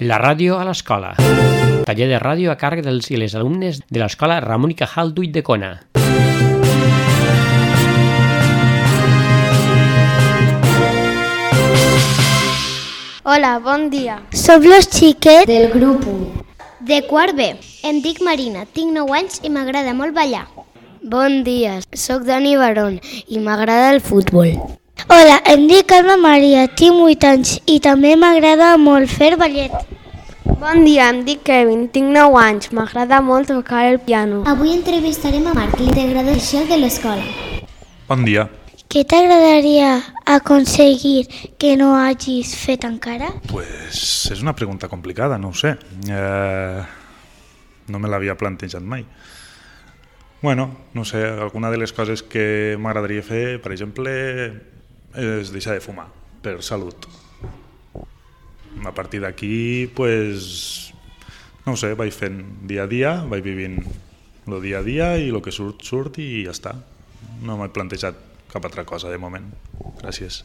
La ràdio a l'escola. Taller de ràdio a càrrec dels i les alumnes de l'escola Ramon i Cajal d'Ulldecona. Hola, bon dia. Som los xiquets Del grup 1. de quart B. Em dic Marina, tinc 9 anys i m'agrada molt ballar. Bon dia, sóc Dani Barón i m'agrada el futbol. Hola, em dic Alma Maria, tinc 8 anys i també m'agrada molt fer ballet. Bon dia, em dic Kevin, tinc 9 anys, m'agrada molt tocar el piano. Avui entrevistarem a Marc, l'integrador social de l'escola. Bon dia. Què t'agradaria aconseguir que no hagis fet encara? Pues és una pregunta complicada, no ho sé. No me l'havia plantejat mai. Bueno, no sé, alguna de les coses que m'agradaria fer, per exemple, és deixar de fumar, per salut. A partir d'aquí, pues, no ho sé, vaig fent dia a dia, vaig vivint el dia a dia i el que surt, surt i ja està. No m'he plantejat cap altra cosa de moment. Gràcies.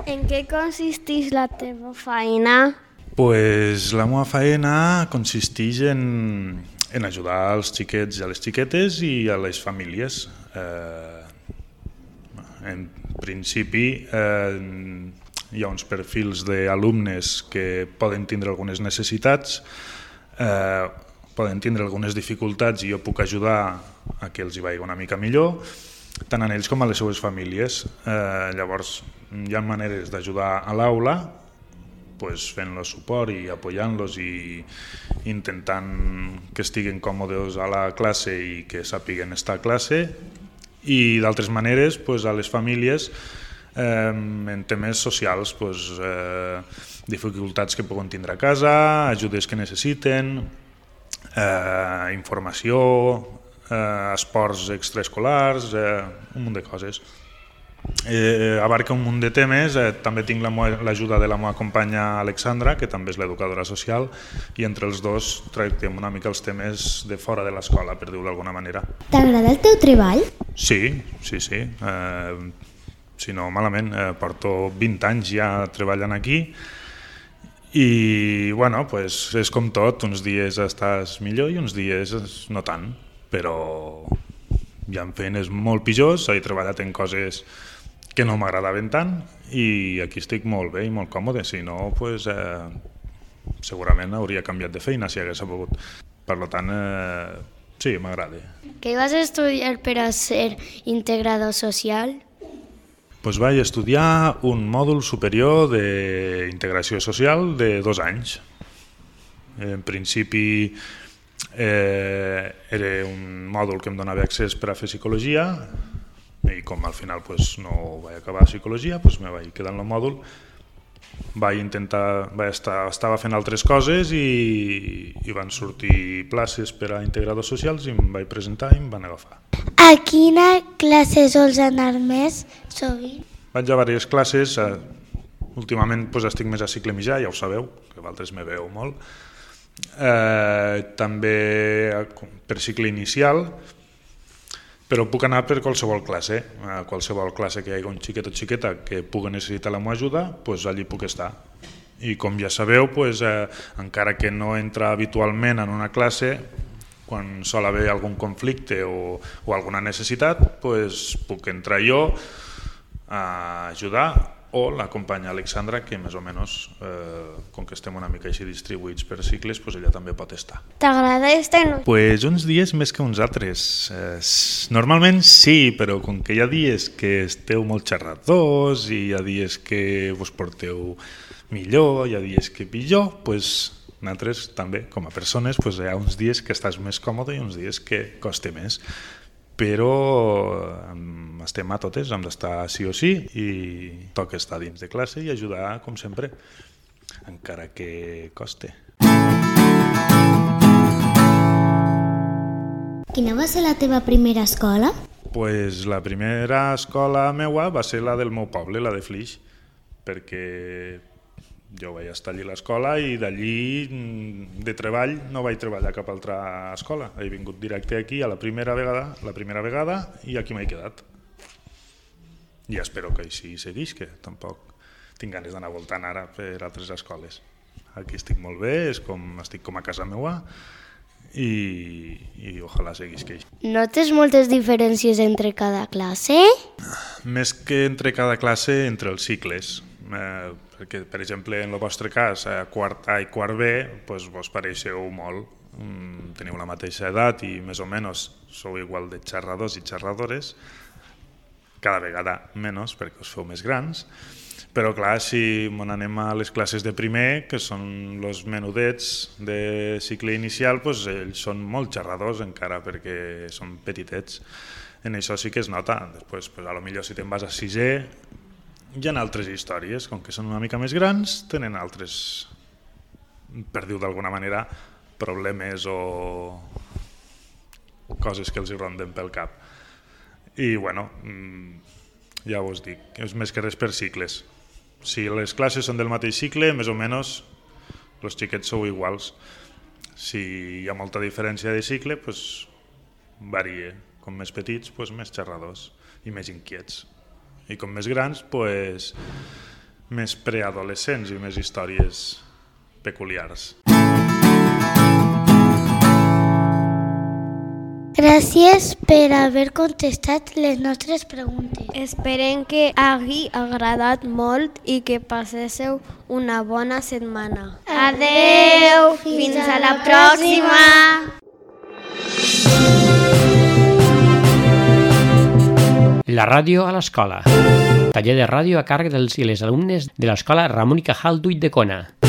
En què consisteix la teva feina? Pues la meva feina consisteix en ajudar als xiquets i a les xiquetes i a les famílies. En principi hi ha uns perfils d'alumnes que poden tindre algunes necessitats, poden tindre algunes dificultats i jo puc ajudar a que els hi vagi una mica millor, tant a ells com a les seues famílies. Llavors hi ha maneres d'ajudar a l'aula, fent-los suport i apoyant-los i intentant que estiguin còmodes a la classe i que sàpiguen estar a classe, i d'altres maneres a les famílies en temes socials, dificultats que poden tindre a casa, ajudes que necessiten, informació, esports extraescolars, un munt de coses. Abarca un munt de temes. També tinc l'ajuda de la meva companya Alexandra, que també és l'educadora social, i entre els dos tractem una mica els temes de fora de l'escola, per dir-ho d'alguna manera. T'agrada el teu treball? Sí. Si no, malament. Porto 20 anys ja treballant aquí i, bueno, és com tot. Uns dies estàs millor i uns dies no tant, però hi ha feines molt pitjors. He treballat en coses que no m'agradaven tant i aquí estic molt bé i molt còmode. Si no, segurament hauria canviat de feina si hagués pogut. Per tant, sí, m'agrada. Què vas estudiar per a ser integrador social? Vaig estudiar un mòdul superior d'integració social de 2 anys. En principi era un mòdul que em donava accés per a fer psicologia i com al final no vaig acabar psicologia, me vaig quedar en el mòdul. Estava fent altres coses i van sortir places per a integradors socials i em vaig presentar i em van agafar. A quina classe sols anar més sovint? Vaig a diverses classes. Últimament estic més a cicle mitjà, ja ho sabeu, que vosaltres me veu molt. També per cicle inicial, però puc anar per qualsevol classe. A qualsevol classe que hi hagi un xiquet o xiqueta que pugui necessitar la meva ajuda, allí puc estar. I com ja sabeu, encara que no entra habitualment en una classe, quan sol haver algun conflicte o alguna necessitat, puc entrar jo a ajudar, o la companya Alexandra, que més o menys, com que estem una mica així distribuïts per cicles, ella també pot estar. T'agrada estar en... Uns dies més que uns altres. Normalment sí, però com que hi ha dies que esteu molt xerradors i hi ha dies que vos porteu millor, hi ha dies que pitjor, nosaltres també, com a persones, hi ha uns dies que estàs més còmode i uns dies que costa més. Però estem a totes, hem d'estar sí o sí i toca estar dins de classe i ajudar, com sempre, encara que coste. Quina va ser la teva primera escola? La primera escola meua va ser la del meu poble, la de Flix, perquè jo vaig estar allí a l'escola i d'allí de treball no vaig treballar a cap altra escola. He vingut directe aquí la primera vegada i aquí m'he quedat. I espero que així seguís, que tampoc tinc ganes d'anar voltant ara per altres escoles. aquí estic molt bé, estic com a casa meua i ojalà seguís que així. Notes moltes diferències entre cada classe? Més que entre cada classe, entre els cicles. Perquè, per exemple, en el vostre cas, a quart A i quart B, doncs vos pareixeu molt. Teniu la mateixa edat i més o menys sou igual de xerradors i xerradores, cada vegada menys perquè us feu més grans. Però clar, si anem a les classes de primer, que són els menudets de cicle inicial, doncs ells són molt xerradors encara perquè són petitets. En això sí que es nota. Després, potser si te'n vas a sisè, hi ha altres històries, com que són una mica més grans, tenen altres, per dir-ho d'alguna manera, problemes o coses que els hi ronden pel cap. I bueno, ja us dic, és més que res per cicles. Si les classes són del mateix cicle, més o menys els xiquets sou iguals. Si hi ha molta diferència de cicle, doncs varia. Com més petits, doncs més xerradors i més inquiets. I com més grans, doncs més preadolescents i més històries peculiars. Gràcies per haver contestat les nostres preguntes. Esperem que hagi agradat molt i que passéssiu una bona setmana. Adeu! Fins a la pròxima! La ràdio a l'escola. Taller de ràdio a càrrec dels i les alumnes de l'escola Ramón y Cajal d'Ulldecona.